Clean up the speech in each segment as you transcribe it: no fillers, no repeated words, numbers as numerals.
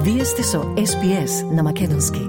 Вие сте со SBS на Македонски.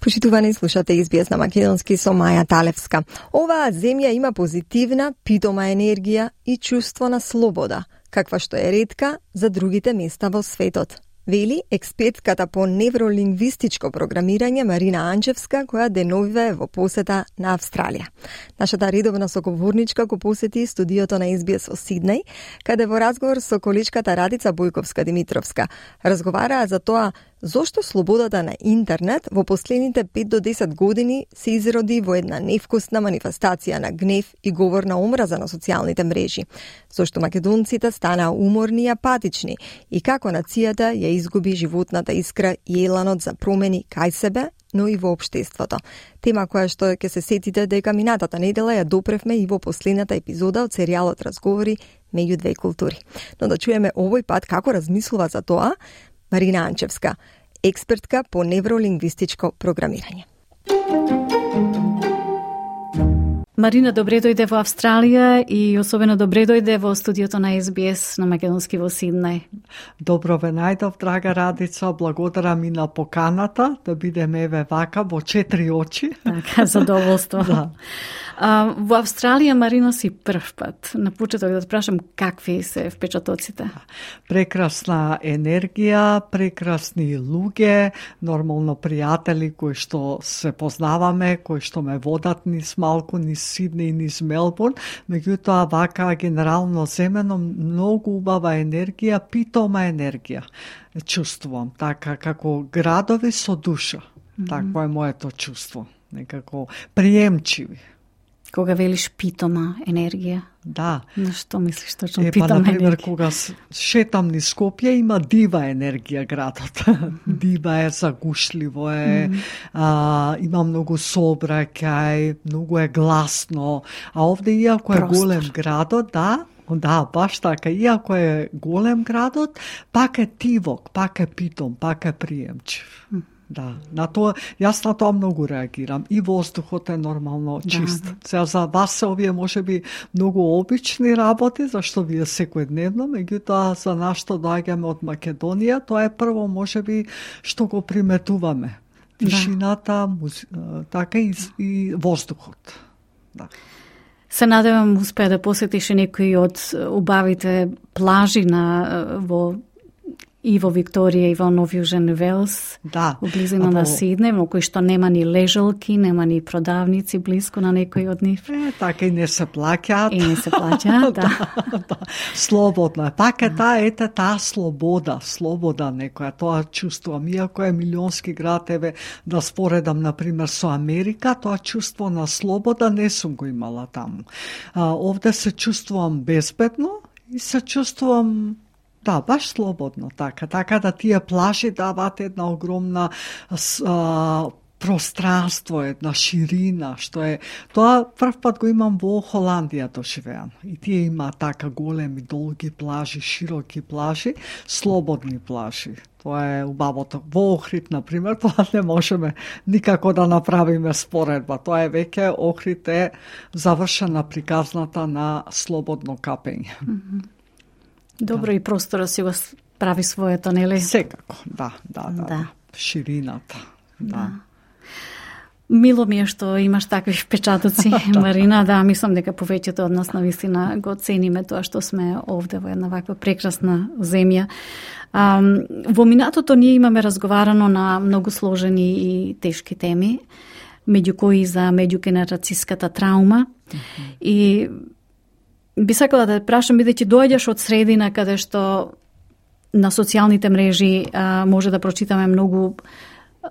Почитувани, слушате SBS на Македонски со Маја Талевска. Оваа земја има позитивна, питома енергија и чувство на слобода, каква што е ретка за другите места во светот. Вели експертката по невролингвистичко програмирање Марина Анчевска, која деновива е во посета на Австралија. Нашата редовна соговорничка го посети студиото на SBS во Сиднеј, каде во разговор со количката Радица Бојковска-Димитровска разговараа за тоа зошто слободата на интернет во последните 5 до 10 години се изроди во една невкусна манифестација на гнев и говор на омраза на социјалните мрежи, зошто македонците станаа уморни и апатични и како нацијата ја изгуби животната искра и еланот за промени кај себе, но и во општеството. Тема која што ќе се сетите дека минатата недела ја допревме и во последната епизода од серијалот Разговори меѓу две култури. Но да чуеме овој пат како размислува за тоа Марина Анчевска, експертка по невролингвистичко програмирање. Марина, добре дојде во Австралија и особено добре дојде во студиото на SBS на Македонски во Сиднеј. Добро ве најдов, драга Радица, благодарам и на поканата да бидеме еве вака во 4 очи. Така, задоволство. Да. Во Австралија, Марина, си прв пат. На почеток да те прашам какви се впечатоците? Прекрасна енергија, прекрасни луѓе, нормално пријатели кои што се познаваме, кои што ме водат низ малку, низ Сиднеј, низ Мелбурн, меѓутоа вака генерално земено многу убава енергија, питома енергија. Чувствувам така како градови со душа. Такво е моето чувство, некако приемчиви. Кога велиш питома енергија? Да. На што мислиш точно питома енергија? Например, кога шетам низ Скопје, има дива енергија градот. Дива е, загушливо е, има многу сообраќај, многу е гласно. А овде, иако е голем градот, да, баш така, иако е голем градот, пак е тивок, пак е питом, пак е приемчив. Да, јас на тоа многу реагирам. И воздухот е нормално чист. Сега за вас се овие можеби многу обични работи, зашто вие секојдневно, меѓутоа за нас што доаѓаме од Македонија, тоа е прво можеби што го приметуваме. Тишината, така и воздухот. Да. Се надевам успеа да посетиш некои од убавите плажи и во Викторија и во Нов Јужен Велс, у близина на Сиднеј, во кои што нема ни лежалки, нема ни продавници близко на некои од нив. Така и не се плаќаат. И не се плаќаат, да. Слободно е. Пак е таа слобода некоја, тоа чувствувам. Иако е милионски град, еве, да споредам, например, со Америка, тоа чувство на слобода не сум го имала таму. Овде се чувствувам безбедно и се чувствувам баш слободно, така да тие плажи даваат една огромна пространство, една ширина, што е, тоа прв пат го имам во Холандија доживеам. И тие има така големи, долги плажи, широки плажи, слободни плажи. Тоа е убавото. Во Охрид, например, тоа не можеме никако да направиме споредба. Тоа е веќе, Охрид е завршена приказната на слободно капење. Добро, и простора си го прави своето, нели? Секако, да. Ширината, да. Мило ми е што имаш такви впечатоци, Марина, мислам дека повеќето од нас навистина го цениме тоа што сме овде во една ваква прекрасна земја. Во минатото ние имаме разговарано на многу сложени и тешки теми, меѓу кои за меѓугенерацијската траума и би сакала да те прашам, бидејќи доаѓаш од средина каде што на социјалните мрежи може да прочитаме многу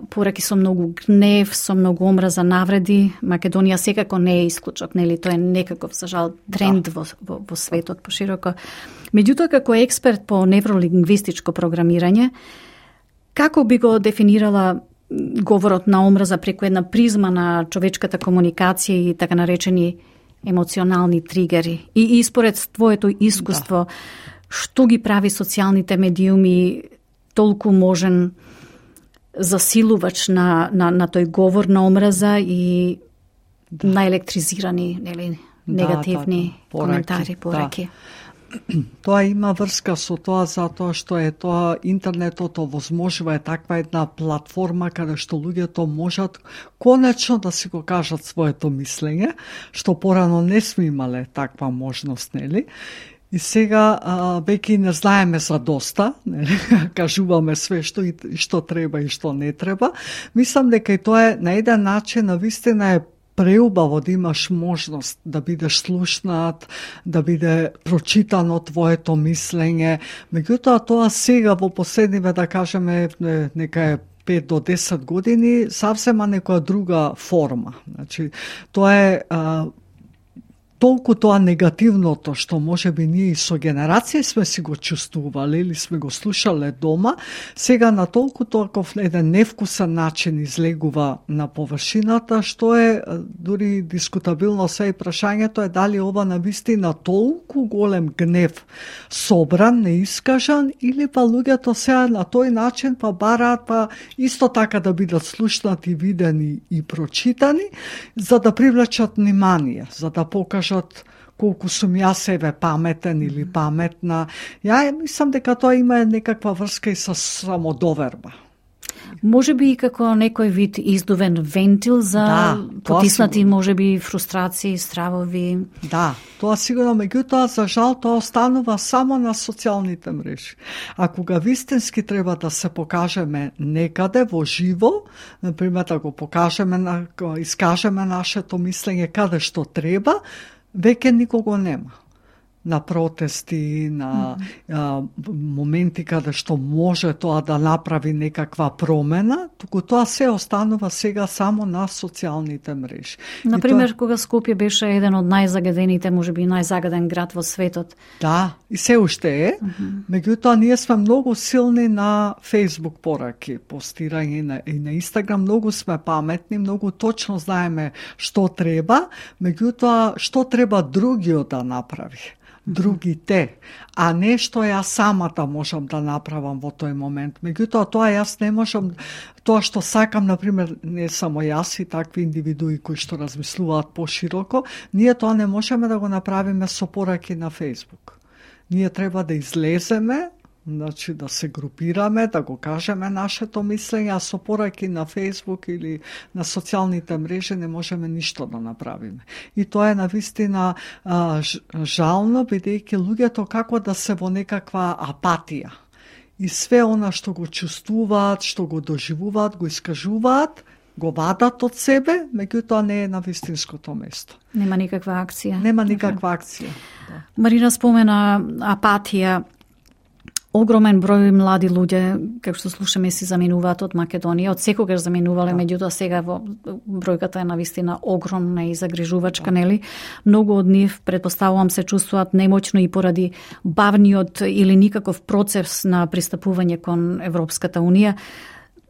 пораки со многу гнев, со многу омраза, навреди. Македонија секако не е исклучок, нели? Тоа е некаков, за жал, тренд во светот пошироко. Меѓутоа, како експерт по невролингвистичко програмирање, како би го дефинирала говорот на омраза преку една призма на човечката комуникација и така наречени емоционални тригери? И според твоето искуство, што ги прави социјалните медиуми толку можен засилувач на тој говор на омраза и на електризирани, нели, негативни коментари, пораки? Тоа има врска со тоа затоа што е тоа интернетот овозможува таква една платформа каде што луѓето можат конечно да си го кажат своето мислење, што порано не сме имале таква можност, нели? И сега веќе не знаеме за доста, нели? Кажуваме све што треба и што не треба. Мислам дека и тоа е на еден начин навистина е преубаво да имаш можност да бидеш слушнат, да биде прочитано твоето мислење. Меѓутоа тоа сега во последниве, да кажеме, нека е 5 до 10 години, савсема некоја друга форма. Значи, тоа е толку тоа негативното што можеби ние и со генерација сме си го чувствувале или сме го слушале дома, сега на толку толков еден невкусен начин излегува на површината, што е дури дискутабилно се и прашањето е дали ова навистина толку голем гнев собран, неискажан, или па луѓето сега на тој начин па бараат па исто така да бидат слушнати, видени и прочитани, за да привлечат внимание, за да покажат колку сум јас себе паметен или паметна. Ја мислам дека тоа има некаква врска и со самодоверба. Може би и како некој вид издувен вентил за потиснати можеби фрустрации, стравови. Да, тоа сигурно, меѓутоа за жал тоа останува само на социјалните мрежи. А кога вистински треба да се покажеме некаде во живо, например да го покажеме, искажеме нашето мислење каде што треба, веќе никого нема. На протести, на моменти каде што може тоа да направи некаква промена, туку тоа се останува сега само на социјалните мрежи. Например, кога Скопје беше еден од најзагадените, можеби најзагаден град во светот. Да, и се уште е. Меѓутоа, ние сме многу силни на Facebook пораки, постирање и на Instagram, многу сме паметни, многу точно знаеме што треба, меѓутоа, што треба другиот да направи. Другите, а не што јас самата можам да направам во тој момент. Меѓутоа, тоа јас не можам, тоа што сакам, например, не само јас и такви индивидуи кои што размислуваат пошироко, ние тоа не можеме да го направиме со пораки на Facebook. Ние треба да излеземе, значи да се групираме, да го кажеме нашето мислење, а со пораки на Facebook или на социјалните мрежи не можеме ништо да направиме. И тоа е навистина жално, бидејќи луѓето како да се во некаква апатија. И све она што го чувствуваат, што го доживуваат, го искажуваат, го вадат од себе, меѓутоа не е на вистинското место. Нема никаква акција. Нема никаква акција. Да. Марина спомена апатија. Огромен број млади луѓе, како што слушаме, си заминуваат од Македонија, од секогаш заминувале, меѓутоа сега бројката е навистина огромна и загрижувачка, нели? Многу од нив, претпоставувам, се чувствуваат немоќно и поради бавниот или никаков процес на пристапување кон Европската Унија.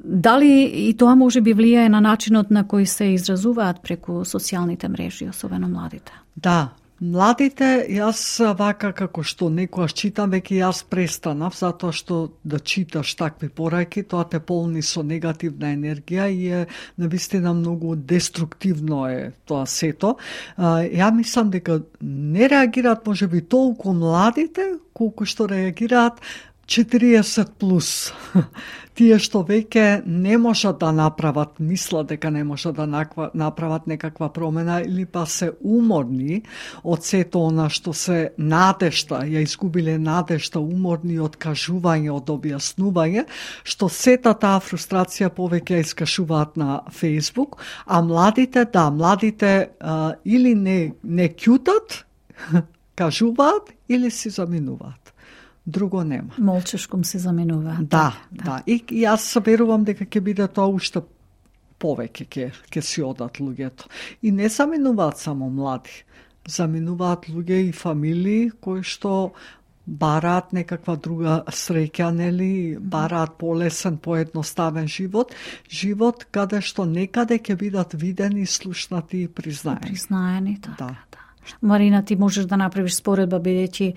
Дали и тоа може би влијае на начинот на кој се изразуваат преку социјалните мрежи, особено младите? Да. Младите, јас вака како што некојаш читам, веќе јас престанав, затоа што да читаш такви пораки, тоа те полни со негативна енергија и е навистина многу деструктивно е тоа сето. Ја мислам дека не реагираат можеби толку младите, колку што реагираат 40 плюс. Тие што веќе не можат да направат, мислат дека не можат да направат некаква промена или па се уморни од сето она што се надежта, ја изгубиле надежта, уморни од кажување, од објаснување, што сета таа фрустрација повеќе ја искажуваат на Facebook, а младите, или не ќутат, кажуваат или си заминуваат. Друго нема. Молчешком се заминува. Да. И јас верувам дека ќе биде тоа уште повеќе ќе си одат луѓето. И не заминуваат само млади. Заминуваат луѓе и фамилии кои што бараат некаква друга среќа, нели, бараат полесен, поедноставен живот каде што некаде ќе бидат видени, слушнати и признаени. Да. Марина, ти можеш да направиш споредба, бидејќи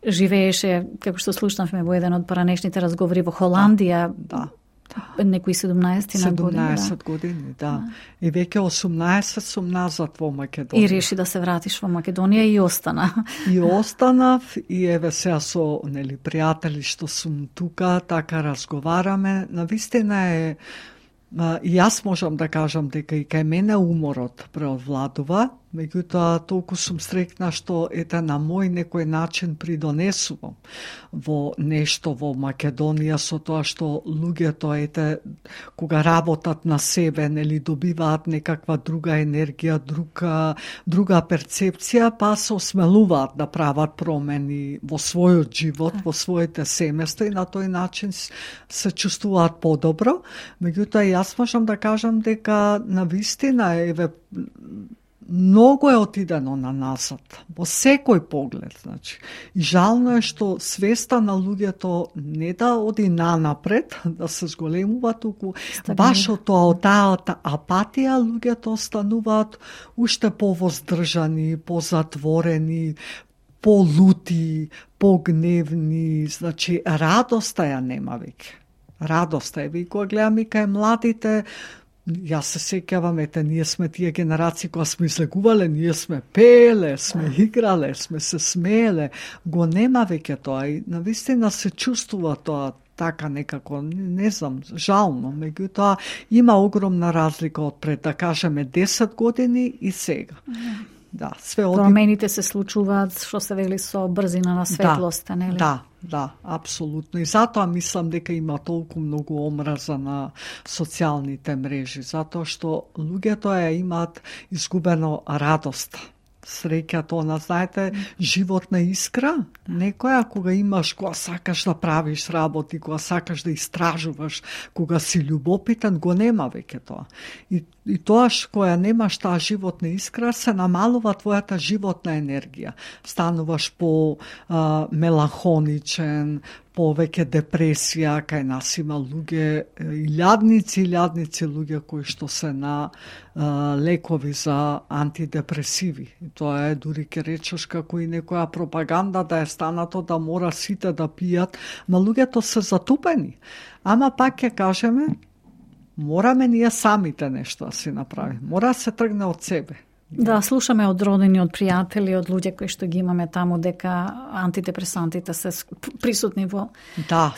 живееше, како што слушнавме во еден од поранешните разговори во Холандија. Да. Некои 17 години. 17 години, да. И веќе 18 сум назад во Македонија. И реши да се вратиш во Македонија и остана. И останав и еве сега со пријатели што сум тука, така разговараме. Навистина е и јас можам да кажам дека и кај мене уморот преовладува, меѓутоа толку сум среќна што на мој некој начин придонесувам во нешто во Македонија со тоа што луѓето кога работат на себе, добиваат некаква друга енергија, друга перцепција, па се осмелуваат да прават промени во својот живот, во своите семејства и на тој начин се чувствуваат подобро. Меѓутоа јас можам да кажам дека навистина многу е отидено на назад, во секој поглед. И жално е што свеста на луѓето не да оди нанапред, да се зголемува, туку баш од таа апатија луѓето остануваат уште повоздржани, позатворени, полути, погневни, радоста ја нема веќе. Радоста е, кога гледам и кај младите, јас се сеќавам, ние сме тие генерации кои сме излегувале, ние сме пееле, сме играле, сме се смееле, го нема веќе тоа и навистина се чувствува тоа така некако, не знам, жално, меѓутоа има огромна разлика од пред, да кажеме, 10 години и сега. Да, промените се случуваат, што се вели, со брзина на светлоста, нели? Да, апсолутно. И затоа мислам дека има толку многу омраза на социјалните мрежи, затоа што луѓето имаат изгубено радост. Среќата, знаете, животна искра, некоја кога имаш, кога сакаш да правиш работи, кога сакаш да истражуваш, кога си љубопитен, го нема веќе тоа. И тоаш кога немаш таа животна искра, се намалува твојата животна енергија. Стануваш меланхоничен, повеќе депресија, кај нас има луѓе, илјадници луѓе кои што се на лекови за антидепресиви. Тоа е, дури ке речеш како и некоја пропаганда да е станато да мора сите да пијат, ма луѓето се затупени. Ама пак ќе кажеме, мораме ние самите нешто да си направиме. Мора да се тргне од себе. Да, слушаме од родени, од пријатели, од луѓе кои што ги имаме таму, дека антидепресантите се присутни во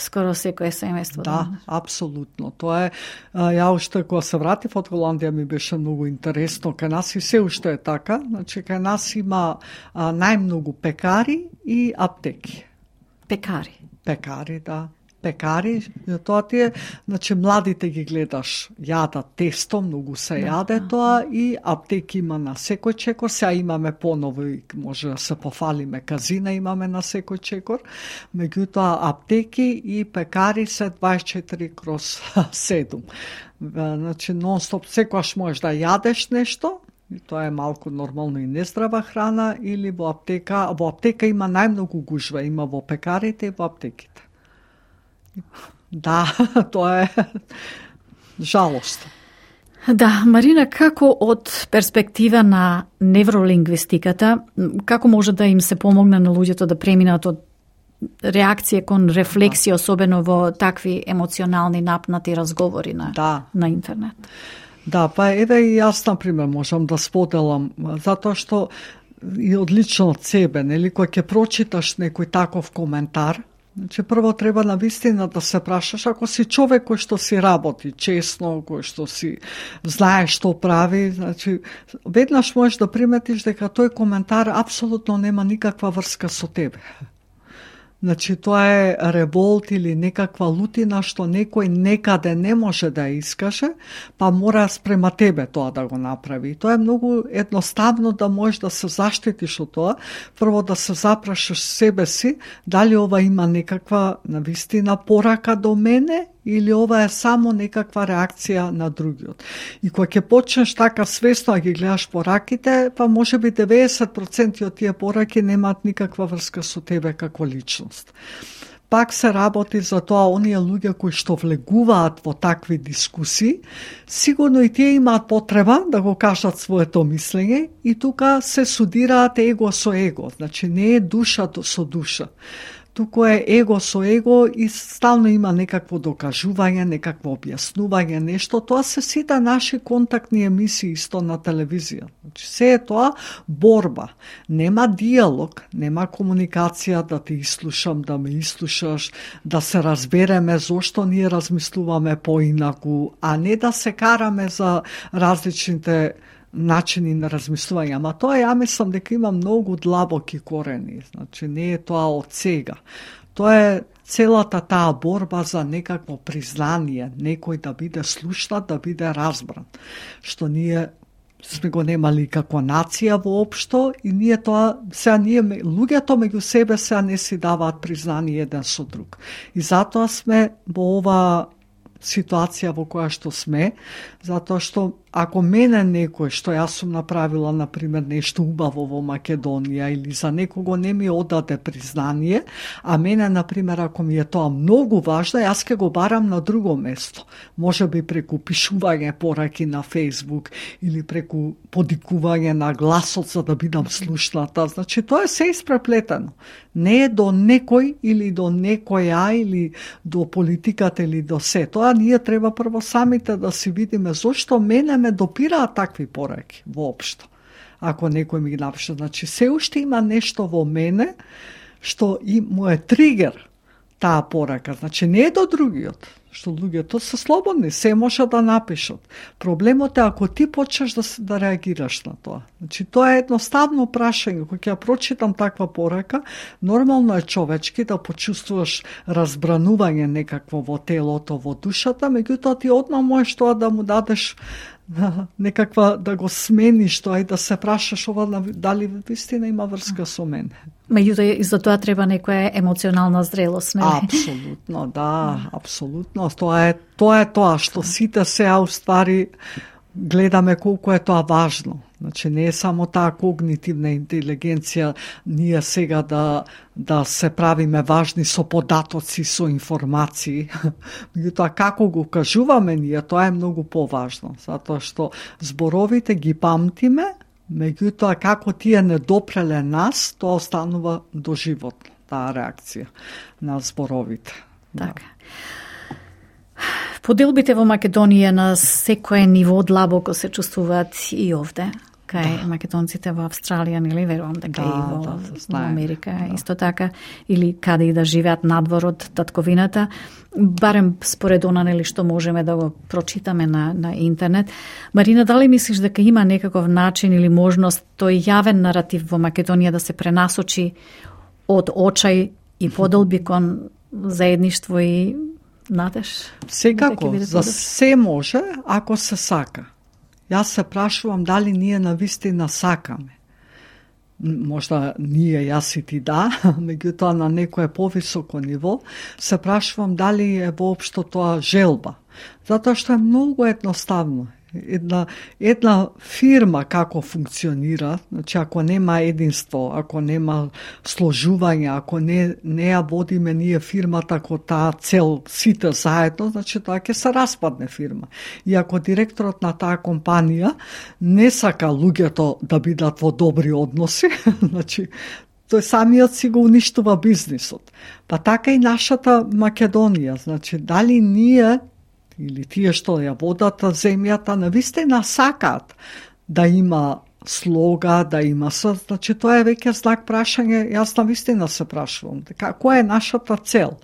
скоро секое семејство. Да, апсолутно. Тоа е, ја уште кога се вратив од Холандија ми беше многу интересно. Кај нас и се уште е така. Кај нас има најмногу пекари и аптеки. Пекари, да. Пекари, тоа тие, младите ги гледаш, јадат тесто, многу се јаде тоа и аптеки има на секој чекор, сега имаме поново и може да се пофалиме, казина имаме на секој чекор, меѓутоа аптеки и пекари се 24/7. Non-stop, секогаш можеш да јадеш нешто, и тоа е малку нормално и нездрава храна, или во аптека има најмногу гужва, има во пекарите и во аптеките. Да, тоа е жалост. Да, Марина, како од перспектива на невролингвистиката, како може да им се помогне на луѓето да преминат од реакција кон рефлексија, особено во такви емоционални напнати разговори на интернет? Да, па еве и јас, например, можам да споделам, затоа што и одлично од себе, кога ќе прочиташ некој таков коментар, прво треба навистина да се прашаш, ако си човек кој што си работи честно, кој што си знае што прави, веднаш можеш да приметиш дека тој коментар апсолутно нема никаква врска со тебе. Тоа е револт или некаква лутина што некој некаде не може да искаже, па мора спрема тебе тоа да го направи. Тоа е многу едноставно да можеш да се заштитиш од тоа. Прво да се запрашаш себе си, дали ова има некаква навистина порака до мене, или ова е само некаква реакција на другиот. И кога ќе почнеш така свесно да ги гледаш пораките, па може би 90% од тие пораки немаат никаква врска со тебе како личност. Пак се работи за тоа, оние луѓе кои што влегуваат во такви дискусии, сигурно и тие имаат потреба да го кажат своето мислење и тука се судираат его со его, не е душа со душа. туку е его со его и стално има некакво докажување, некакво објаснување, нешто. Тоа се сите наши контактни емисии исто на телевизија. Значи, се е тоа борба. Нема диалог, нема комуникација да те ислушам, да ме ислушаш, да се разбереме зошто ние размислуваме поинаку, а не да се караме за различните начини на размислување. Ама тоа ја мислам дека има многу длабоки корени. Значи не е тоа од сега. Тоа е целата таа борба за некакво признание, некој да биде слушнат, да биде разбран. Што ние сме го немали како нација воопшто и ние тоа, сега ние луѓето меѓу себе сега не си даваат признание еден со друг. И затоа сме во ова ситуација во која што сме, затоа што ако мене некој што јас сум направила, например, нешто убаво во Македонија или за некого не ми одаде признание, а мене, например, ако ми е тоа многу важно, јас ќе го барам на друго место. Може би преку пишување пораки на Facebook или преку подикување на гласот за да бидам слушната. Значи, тоа е се испреплетено. Не е до некој или до некоја или до политиката или до се. Тоа ние треба прво самите да си видиме зошто мене ме допираат такви пораки воопшто. Ако некој ми ги напише, значи се уште има нешто во мене што и му е тригер таа порака. Значи не е до другиот, што луѓето се слободни, се може да напишат. Проблемот е ако ти почнеш да реагираш на тоа. Значи тоа е едноставно прашање. Кога ќе прочитам таква порака, нормално е човечки да почувствуваш разбранување некакво во телото, во душата, меѓутоа ти одма можеш тоа да му дадеш некаква, да го смениш тоа и да се прашаш ова дали вистина има врска со мене. Меѓутоа и за тоа треба некоја емоционална зрелост, не? Апсолутно, да, апсолутно. Тоа е тоа што сите сега уствари гледаме колку е тоа важно. Значи не е само таа когнитивна интелигенција, ние сега да се правиме важни со податоци, со информации. Меѓутоа како го кажуваме ние, тоа е многу поважно, затоа што зборовите ги памтиме, меѓутоа како тие не допреле нас, тоа останува доживотно, таа реакција на зборовите. Така. Поделбите во Македонија на секое ниво длабоко се чувствуваат и овде, кај македонците во Австралија, нели, верувам дека и во Америка, исто така, или каде и да живеат надвор од татковината, барем според она, нели, што можеме да го прочитаме на интернет. Марина, дали мислиш дека има некаков начин или можност тој јавен наратив во Македонија да се пренасочи од очај и поделби кон заедништво и надеж? Секако, за се може, ако се сака. Јас се прашувам дали ние навистина сакаме. Можда ние, јас и ти меѓутоа на некое повисоко ниво, се прашувам дали е воопшто тоа желба. Затоа што е многу едноставно. Една фирма како функционира, значи ако нема единство, ако нема сложување, ако не ја водиме ние фирмата ко таа цел сите заедно, значи тоа ќе се распадне фирма. И ако директорот на таа компанија не сака луѓето да бидат во добри односи, значи тој самиот си го уништува бизнисот. Па така и нашата Македонија, значи дали ние или тие што ја водат земјата, навистина сакаат да има слога, да има значи тоа е веќе знак прашање, јас навистина се прашувам, која е нашата цел,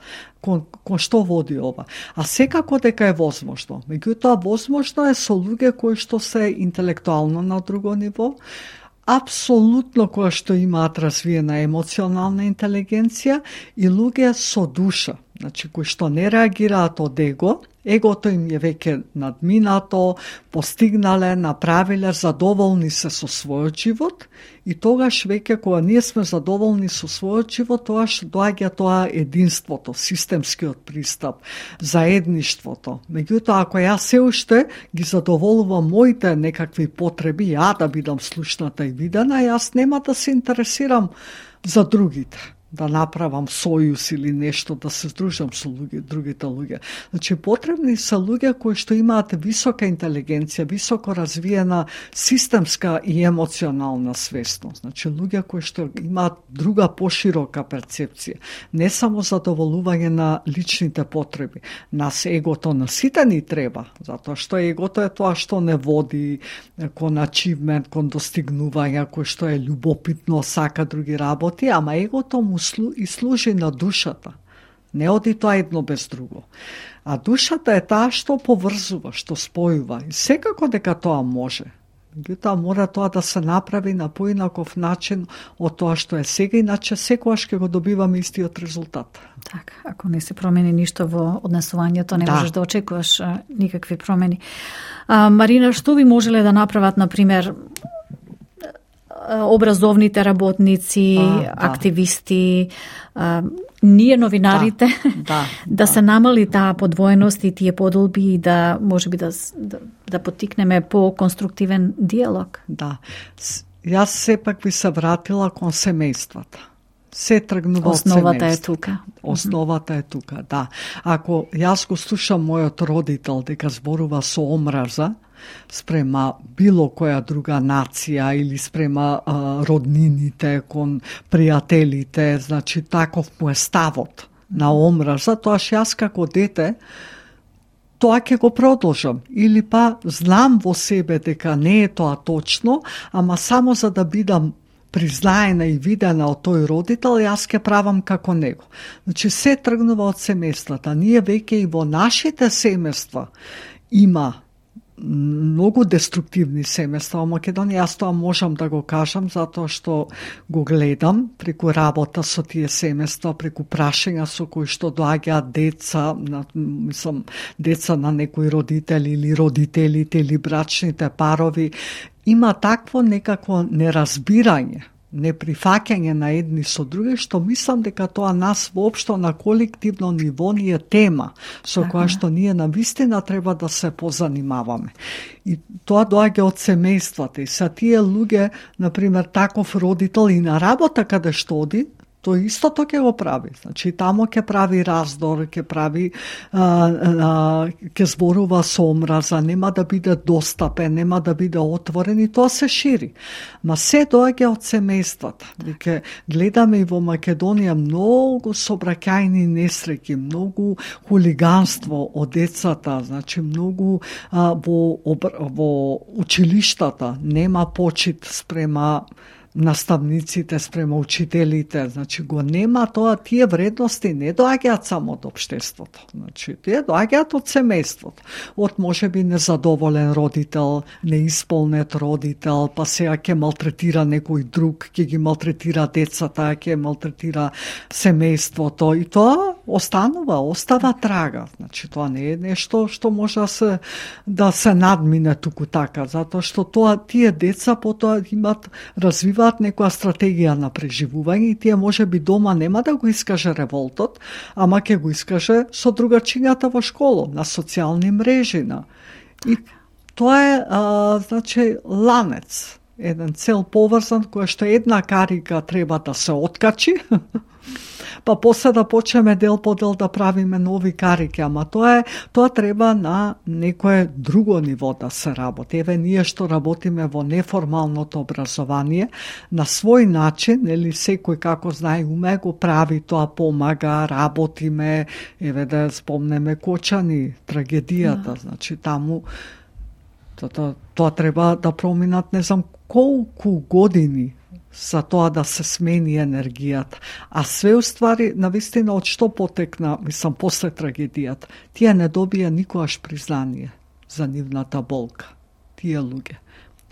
кон што води ова. А секако дека е возможно, меѓутоа возможно е со луѓе кои што се интелектуално на друго ниво, апсолутно кои што имаат развиена емоционална интелигенција и луѓе со душа, значи кои што не реагираат од егото им е веќе надминато, постигнале, направиле, задоволни се со својот живот и тогаш веќе кога ние сме задоволни со својот живот, тогаш доаѓа тоа единството, системскиот пристап, заедништвото. Меѓутоа, ако јас се уште ги задоволувам моите некакви потреби, ја да бидам слушната и видена, јас нема да се интересирам за другите. да направам сојуз или нешто, да се здружам со другите луѓе. Значи, потребни се луѓе кои што имаат висока интелигенција, високо развиена системска и емоционална свесност. Значи, луѓе кои што имаат друга поширока перцепција. Не само задоволување на личните потреби. Нас егото на сите ни треба, затоа што егото е тоа што не води кон ачивмент, кон достигнување, кој што е љубопитно, сака други работи, ама егото му и служи на душата. Не оди тоа едно без друго. А душата е таа што поврзува, што спојува. И секако дека тоа може. Меѓутоа мора тоа да се направи на поинаков начин од тоа што е сега, иначе секогаш ќе го добиваме истиот резултат. Така, ако не се промени ништо во однесувањето, не можеш да очекуваш никакви промени. Марина, што би можеле да направат, например, образовните работници, активисти, ние новинарите, да се намали таа подвоеност и тие подолби и да можеби да поттикнеме по конструктивен диалог. Да. Јас сепак би се вратила кон семејствата. Се тргнува од семејството. Основата е тука. Основата е тука, да. Ако јас го слушам мојот родител дека зборува со омраза спрема било која друга нација или спрема роднините, кон пријателите, значи таков му е ставот на омраза, тоаш јас како дете тоа ќе го продолжам. Или па знам во себе дека не е тоа точно, ама само за да бидам признаена и видена од тој родител, јас ќе правам како него. Значи, се тргнува од семејствата. Ние веќе и во нашите семејства има многу деструктивни семејства во Македонија. Јас тоа можам да го кажам, затоа што го гледам преку работа со тие семејства, преку прашања со кои што доаѓаат деца, деца на некои родители или родителите или брачните парови. Има такво некакво неразбирање, неприфаќање на едни со други, што мислам дека тоа нас воопшто на колективно ниво ни е тема со која што ние навистина треба да се позанимаваме. И тоа доаѓа од семејствата. И са тие луѓе, например, таков родител и на работа каде што оди, тој истото ќе го прави. Значи, тамо ќе прави раздор, ќе прави, ќе зборува со омраза, нема да биде достапен, нема да биде отворен и тоа се шири. Ма се доаѓа од семејствата. Дека гледаме и во Македонија многу собраќајни несреќи, многу хулиганство од децата, значи многу во училиштата нема почит спрема наставниците, спрема учителите, значи го нема тоа, тие вредности не доаѓаат само од општеството, значи тие доаѓаат од семејството, од можеби незадоволен родител, неисполнет родител, па сега ќе малтретира некој друг, ќе ги малтретира децата, ќе малтретира семејството и тоа остава трага, значи тоа не е нешто што може да се надмине туку така, затоа што тие деца потоа развиваат некоја стратегија на преживување и тие може би дома нема да го искаже револтот, ама ќе го искаже со другачињата во школа, на социјални мрежи. И тоа е, значи, ланец, еден цел поврзан, која што една карика треба да се откачи, па после да почнеме дел по дел да правиме нови карики, ама тоа треба на некое друго ниво да се работи. Еве ние што работиме во неформалното образование, на свој начин, нели секој како знае уме го прави, тоа помага, работиме, еве да спомнеме Кочани, трагедијата, значи таму тоа треба да проминат не знам колку години за тоа да се смени енергијата. А све уствари, навистина, од што потекна, мислам, после трагедијата, тие не добија никогаш признание за нивната болка. Тие луѓе.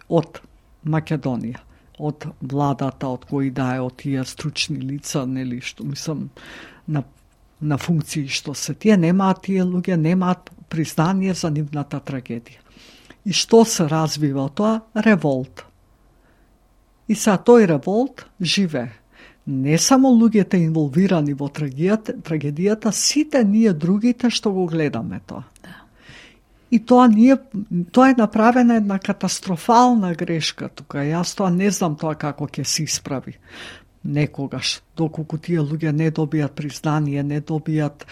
Од Македонија, од владата, од кои да е, од тие стручни лица, нели, што, мислам, на функции што се. Тие луѓе немаат признание за нивната трагедија. И што се развива тоа? Револт. И са тој револт живе. Не само луѓето инволвирани во трагедијата, сите ние другите што го гледаме тоа. И тоа е направена една катастрофална грешка тука. Јас тоа не знам тоа како ќе се исправи. некогаш, доколку тие луѓе не добијат признание, не добијат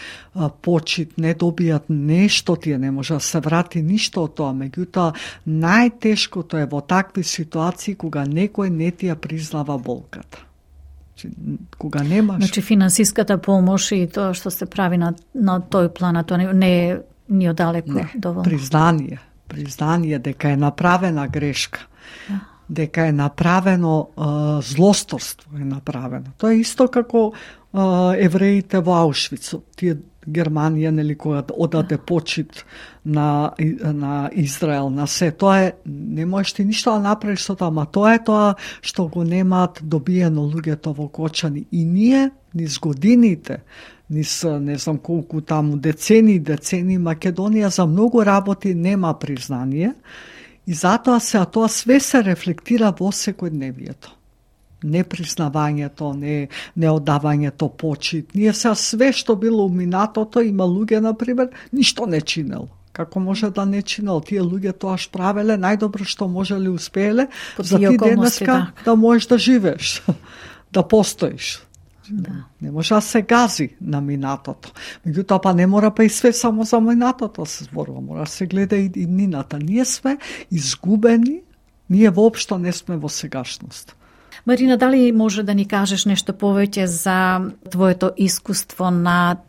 почит, не добијат нешто, тие не може да се врати ништо од тоа. Меѓутоа, најтешкото е во такви ситуации кога некој не ти ја признава болката. Кога немаш... Значи, финансиската помош и тоа што се прави на тој план, тоа не е ни одалеко доволно. Признание дека е направена грешка. Дека е направено злосторство е направено. Тоа е исто како евреите во Аушвиц. Тие Германија, нели, кога одаде почит на Израел, на се. Тоа е, не можеш ти ништо да направиш со тоа, ама тоа е тоа што го немаат добиено луѓето во Кочани. И ние, низ годините, низ не знам колку таму, децени Македонија за многу работи нема признание, и затоа тоа све се рефлектира во секојдневието. Непризнавањето, не одавањето почит. Ние сега све што било уминатото, има луѓе, например, ништо не чинело. Како може да не чинел? Тие луѓе тоа што правеле, најдобро што можеле успееле, за ти денеска да можеш да живееш, да постоиш. Да. Не може да се гази на минатото. Меѓутоа, па не мора па и све само за минатото се зборува, мора да се гледа и нината. Ние сме изгубени, ние воопшто не сме во сегашност. Марина, дали може да ни кажеш нешто повеќе за твоето искуство на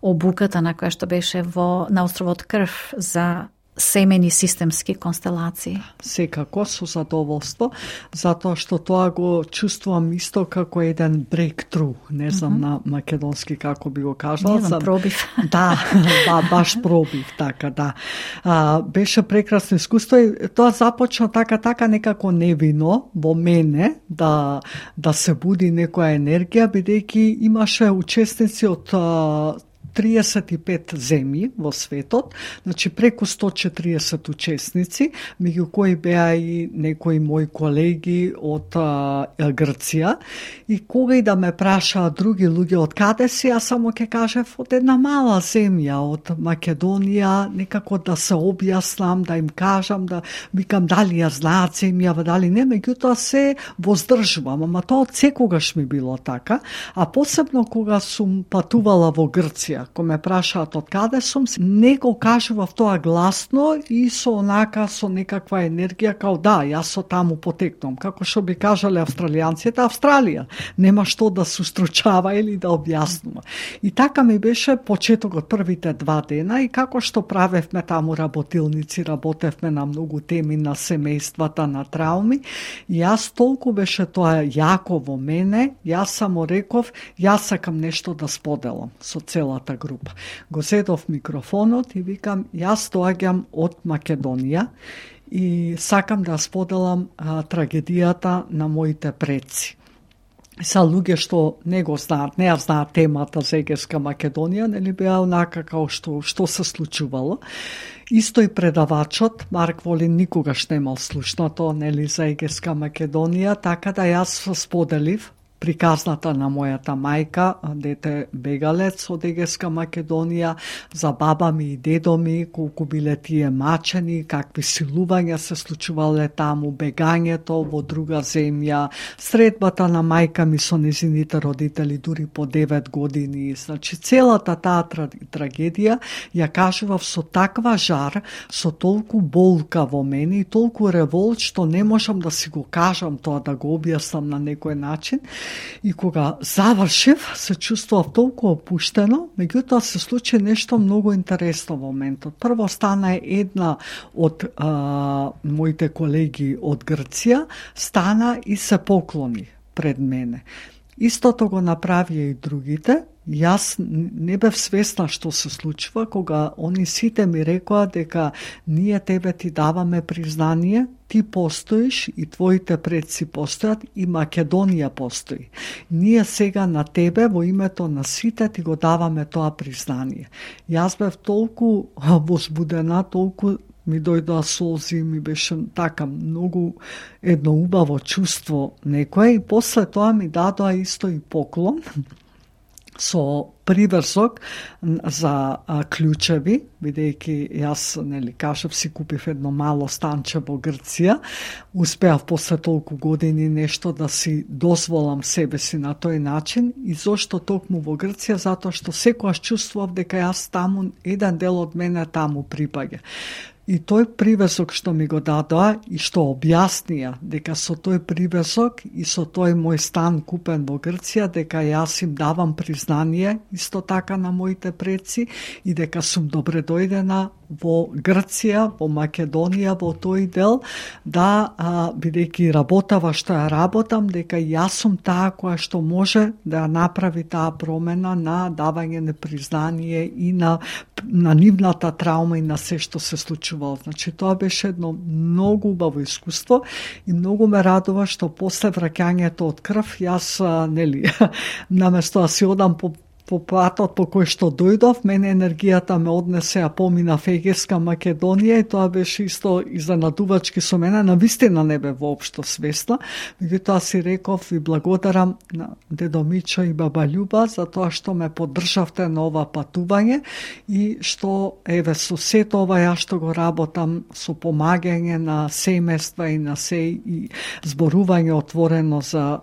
обуката на која што беше на островот Крф за семени системски констелации? Секако, со задоволство, затоа што тоа го чувствувам исто како еден breakthrough, не знам на македонски како би го кажала. Не знам, пробив. Да, баш пробив, така, да. Беше прекрасно искуство и тоа започна така некако невино во мене да се буди некоја енергија, бидејќи имаше учесници од 35 земји во светот, значи преку 140 учесници, меѓу кои беа и некои мои колеги од Грција. И кога и да ме прашаат други луѓе од каде си, јас само ќе кажев од една мала земја, од Македонија, некако да се објаснам, да им кажам, да викам дали ја знаат земјава, дали не, меѓутоа се воздржувам, ама тоа од секогаш ми било така, а посебно кога сум патувала во Грција, кога ме прашаат од каде сум, не го кажував тоа гласно и со некаква енергија, као да, јас со таму потекнувам. Како што би кажале австралијанците, Австралија. Нема што да се устручава или да објаснува. И така ми беше почетокот првите 2 дена и како што правевме таму работилници, работевме на многу теми на семејствата, на трауми. И јас толку беше тоа јако во мене, јас само реков, јас сакам нешто да споделам со целата група. Го седов микрофонот и викам, јас доаѓам од Македонија и сакам да споделам трагедијата на моите предци. Са луѓе што не го знаат, не ја знаат темата за Егејска Македонија, нели беа онака као што се случувало. Исто и предавачот, Марк Волин, никогаш немал слушнато, нели, за Егејска Македонија, така да јас споделив приказната на мојата мајка, дете бегалец од Егејска Македонија, за баба ми и дедо ми, колку биле тие мачени, какви силувања се случувале таму, бегањето во друга земја, средбата на мајка ми со незините родители дури по 9 години. Значи, целата таа трагедија ја кажував со таква жар, со толку болка во мене и толку револт, што не можам да си го кажам тоа, да го објаснам на некој начин. И кога завршив, се чувствував толку опуштено, меѓутоа се случи нешто многу интересно во моментот. Прво стана една од моите колеги од Грција, стана и се поклони пред мене. Истото го направија и другите. Јас не бев свесна што се случува, кога они сите ми рекоа дека ние тебе ти даваме признание, ти постоиш и твоите предци постојат и Македонија постои. Ние сега на тебе во името на сите ти го даваме тоа признание. Јас бев толку возбудена, толку ми дојдоа солзи, ми беше така многу едно убаво чувство некое и после тоа ми дадоа исто и поклон. со приврзок за клучеви, бидејќи јас, кажав, си купив едно мало станче во Грција, успеав после толку години нешто да си дозволам себе си на тој начин. И зошто токму во Грција? Затоа што секогаш чувствував дека јас таму, еден дел од мене таму припаѓа. И тој привесок што ми го дадоа и што објаснија дека со тој привесок и со тој мој стан купен во Грција, дека јас им давам признание исто така на моите предци и дека сум добре дојдена во Грција, во Македонија, во тој дел, да, бидејќи работава што ја работам, дека јас сум таа која што може да направи таа промена на давање на признание и на нивната траума и на се што се случувало. Значи, тоа беше едно многу убаво искуство и многу ме радува што после враќањето од крв, јас, наместо да си одам по патот по кој што дојдов, мене енергијата ме однесе, а поминав Егејска Македонија и тоа беше исто изненадувачки со мене, навистина не бе воопшто свесна, меѓутоа си реков и благодарам на дедо Мичо и баба Љуба за тоа што ме поддржавте на ова патување и што, еве, со сето ова ја што го работам со помагање на семејства и на се и зборување отворено за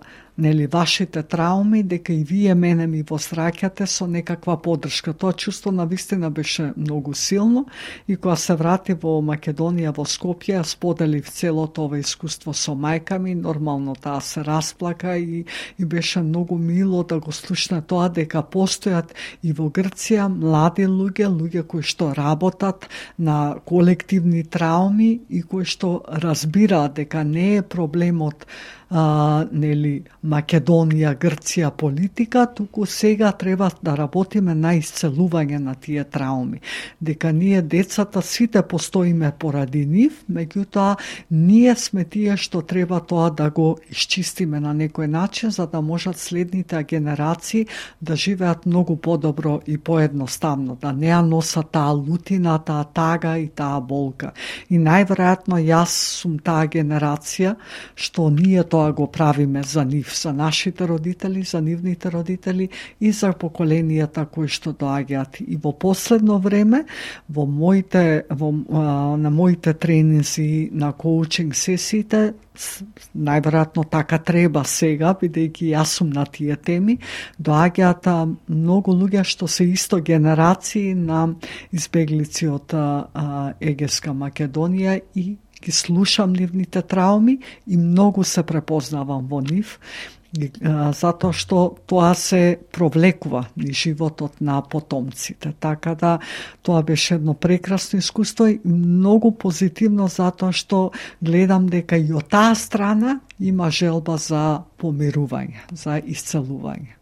вашите трауми, дека и вие мене ми восраќате со некаква поддршка. Тоа чувство навистина беше многу силно и кога се врати во Македонија, во Скопје, споделив целото ова искуство со мајка ми, нормално таа се расплака и беше многу мило да го слушне тоа дека постојат и во Грција млади луѓе кои што работат на колективни трауми и кои што разбираат дека не е проблемот Македонија, Грција политика, туку сега треба да работиме на исцелување на тие трауми. Дека ние децата сите постоиме поради нив, меѓутоа ние сме тие што треба тоа да го исчистиме на некој начин за да можат следните генерации да живеат многу подобро и поедноставно, да не ја носат таа лутина, таа тага и таа болка. И најверојатно јас сум таа генерација што ние тоа го правиме за нив, за нашите родители, за нивните родители и за поколенията кои што доаѓаат. И во последно време, на моите тренинзи, на коучинг сесиите, најверојатно така треба сега, бидејќи јас сум на тие теми, доаѓаат многу луѓе што се исто генерации на избеглици од Егејска Македонија и ги слушам нивните трауми и многу се препознавам во нив, затоа што тоа се провлекува низ животот на потомците. Така да тоа беше едно прекрасно искуство и многу позитивно затоа што гледам дека и од таа страна има желба за помирување, за исцелување.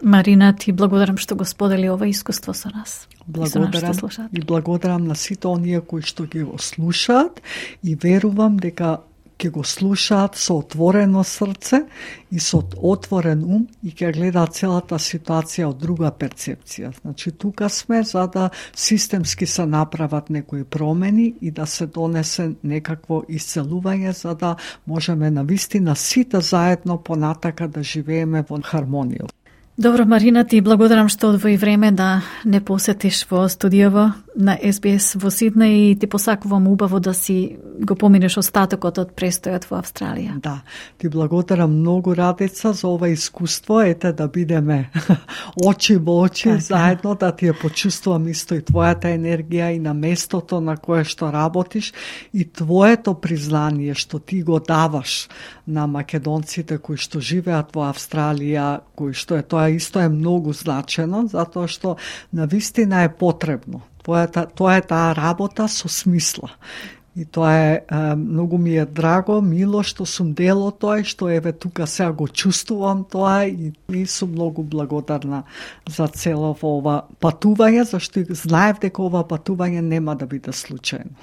Марина, ти благодарам што го сподели ова искуство со нас. Благодарам и благодарам на сите оние кои што ги го слушаат и верувам дека ќе го слушаат со отворено срце и со отворен ум и ќе гледаат целата ситуација од друга перцепција. Значи, тука сме за да системски се направат некои промени и да се донесе некакво исцелување за да можеме навистина сите заедно понатака да живееме во хармонија. Добро, Марина, ти благодарам што одвои време да не посетиш во студијаво на SBS во Сиднеј и ти посакувам убаво да си го поминеш остатокот од престојот во Австралија. Да, ти благодарам многу, Радица, за ова искуство, ете да бидеме очи во очи, заедно да ти ја почувствувам исто и твојата енергија и на местото на кое што работиш и твоето признание што ти го даваш на македонците кои што живеат во Австралија, кои што е тоа исто е многу значено, затоа што навистина е потребно. Тоа е таа работа со смисла. И тоа е, многу ми е драго, мило што сум дел од тоа и што еве тука сега го чувствувам тоа и сум многу благодарна за цело ова патување, зашто знаев дека ова патување нема да биде случајно.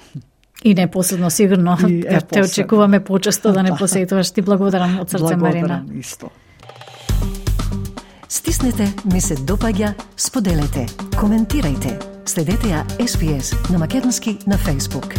И не посебно сигурно, те очекуваме почесто да не посетуваш. Ти благодарам од срце, Марина. Благодарам исто. Стиснете, ми се допаѓа, споделете, коментирајте. Следете ја SBS на Македонски на Facebook.